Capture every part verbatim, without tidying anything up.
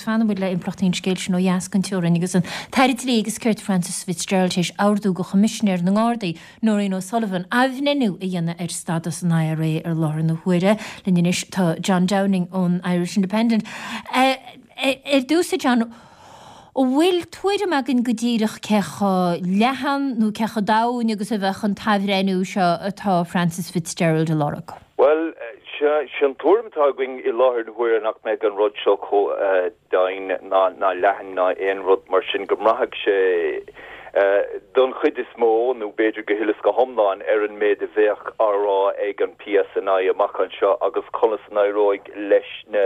fanfaidh muid le impleachtaí an scéil sin ó dheas den teorainn agus an tAire Dlí agus Cirt Frances Fitzgerald tar éis ordú do Choimisinéir na nGardaí, Nóirín O'Sullivan, athbhreithniú a dhéanamh ar stádas an I R A ar láthair na huaire. Linn anois tá John Downing ón Irish Independent. Ar dtús, John, an bhfuil tuairim againn go díreach cé chomh leathan nó cé chomh domhain agus a bheadh an t-athbhreithniú seo atá Frances Fitzgerald a lorg? Well, sin tuairim atá againn i láthair na huaire nach mbeidh an rud seo chomh domhain ná ná leathan ná aon rud mar sin, go mbraithfidh sé don chuid is mó nó b'fhéidir go huile is go hiomlán ar an méid a bheadh á rá ag an P S N I amach anseo agus conas a n-éireoidh leis na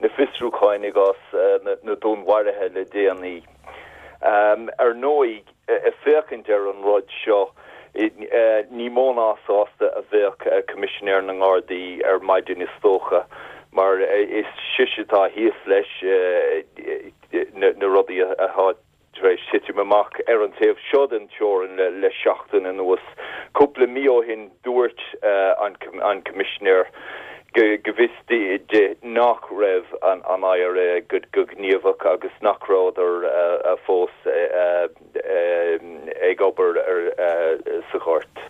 na fiosrúcháin i gcás na dúnmharuithe le déanaí. Um, ar ndóigh, féachaint ar an rud seo, ní mó ná sásta a bheadh Coimisinéir na nGardaí ar maidin, is dócha, mar is sise atá thíos leis na rudaí atá tar éis titim amach ar an taobh seo den teorainn le, le seachtain anuas. Cúpla mí ó shin dúirt uh, an, an Coimisinéir go bhfios di nach raibh an, an I R A go, go gníomhach agus nach rabhadar uh, fós uh, uh, ag obair ar uh, sa ghort.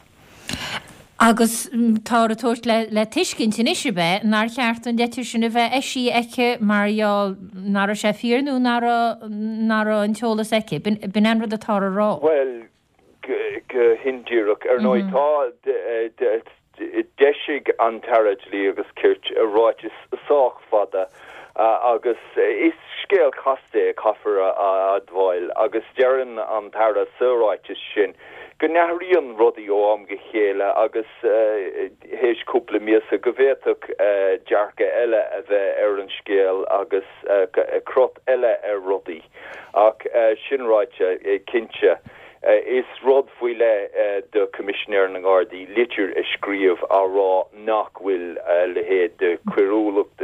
Agus tá a tabhairt le, le tuiscint anois be nár cheart an leitir sin a bheith eisithe aici mar nach raibh sé fíor nó nach raibh an t-eolas aici, b'in an rud atá á rá. Well, go hindíreach ar ndóigh tá d'eisigh an tAire Dlí agus Cirt a ráiteas sách fada agus is scéal casta é, caithfear a admháil, agus deireann an tAire sa ráiteas sin go n-athraíonn rudaí ó am go chéile agus théis cúpla míosa go bhféadfadh dearcadh eile a bheith ar an scéal agus crot eile ar rudaí. Ach sin ráite, cinnte, is rud faoi leith do Choimisinéir na nGardaí litir a scríobh á rá nach bhfuil leithéid de choiriúlacht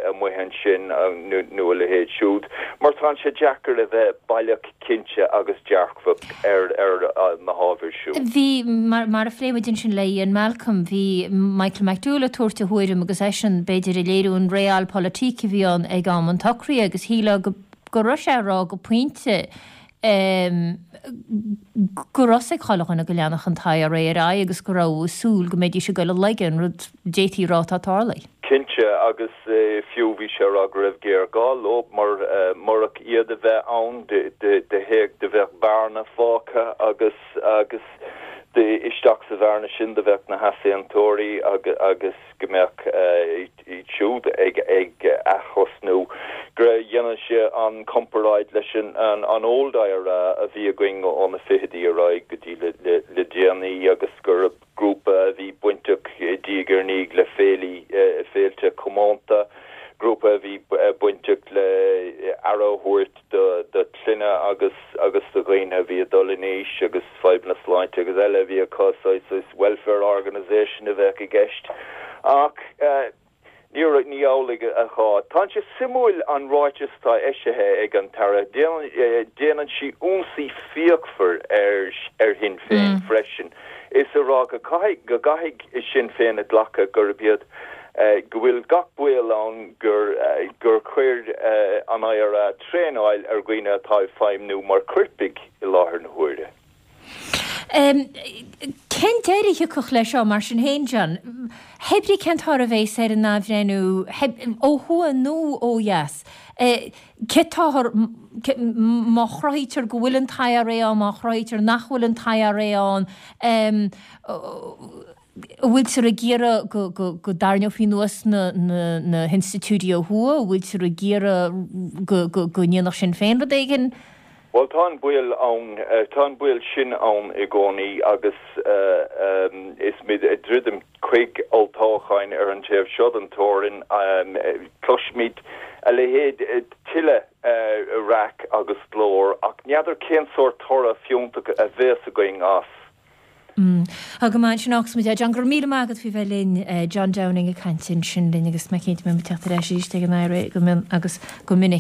amuigh ansin nó a leithéid siúd, mar tá sé deacair a bheith baileach cinnte agus dearfach ar ar na hábhair siúd. Bhí mar, mar a phléigh muid sin le Ian Malcolm, bhí Michael McDowell ag tabhairt a thuairim agus eisean b'fhéidir ag léiriú an realpolitik a bhí ann ag am an tsocraithe agus shílfeá go go raibh sé rá go pointe um, go raibh ag chuile dhuine go leanfadh an I R A ar aghaidh agus go raibh súil go mbeidís ag dul i laige, an rud d'fhéadfaí rá atá tarlaithe. Cinnte, agus uh, fiú bhí sé rá go raibh géarghá leo mar uh, murach iad a bheith ann de de de bheith bearna fágtha agus agus de isteach sa bhearna sin do bheith na heasaontóirí agus, agus go mbeadh iad siúd ag ag athosnú go dhéanann sé an comparáid leis an an, an Old I R A a bhí againn ó na fichidí ar aghaidh go dtí le, le, le déanaí agus gur grúpa a bhí bainteach diaidh ar ndiaidh le féilí féilte comónta, grúpa a bhí bainteach le aire a thabhairt do do chlanna agus agus do dhaoine a bhí ag dul in aois agus fadhbanna sláinte agus eile bhí acu, is welfare organisation a bheith i gceist. Ach uh, ní ní amhlaidh atá. Tá sé suimiúil an ráiteas atá eisithe ag an tAire, déanann sí ionsaí fíochmhar ar ar Shinn Féin mm. freisin. Is a rá go caithfidh go gcaithfidh Sinn Féin a ghlacadh gurb iad go bhfuil gach baol ann gur gur chuir an I R A traenáil ar dhaoine atá ag feidhmiú mar choirpigh i láthair na huaire. Um, Cén deireadh a thiocfadh leis seo mar sin féin, John? Pé brí cén toradh a bheas ar an athbhreithniú ó thuaidh nó ó dheas? Cé táthar má chruthaítear go bhfuil an I R A ann, má chruthaítear nach bhfuil an I R A ann, um, bhfuiltear ag iarraidh go, go, go dtarraingeofaí anuas na, na, na hinstitiúidí ó thuaidh, bhfuiltear ag iarraidh go, go, go ndéanfadh Sinn Féin rud éigin? Well, tá an baol ann, tá an baol sin ann i gcónaí agus uh, um, is muid ag druidim chuig olltoghcháin ar an taobh seo den teorainn um, cloisfimid a leithéid tuilleadh uh, raic agus glór, ach n'fheadar cén sórt toradh fiúntach a bheas againn as. Mm. Go maith sin agus muid John, go raibh míle maith agat faoi bheith linn, John Downing ag caint ansin linn agus má cinnte mé teacht ar ais ag an I R A go mion agus go minic.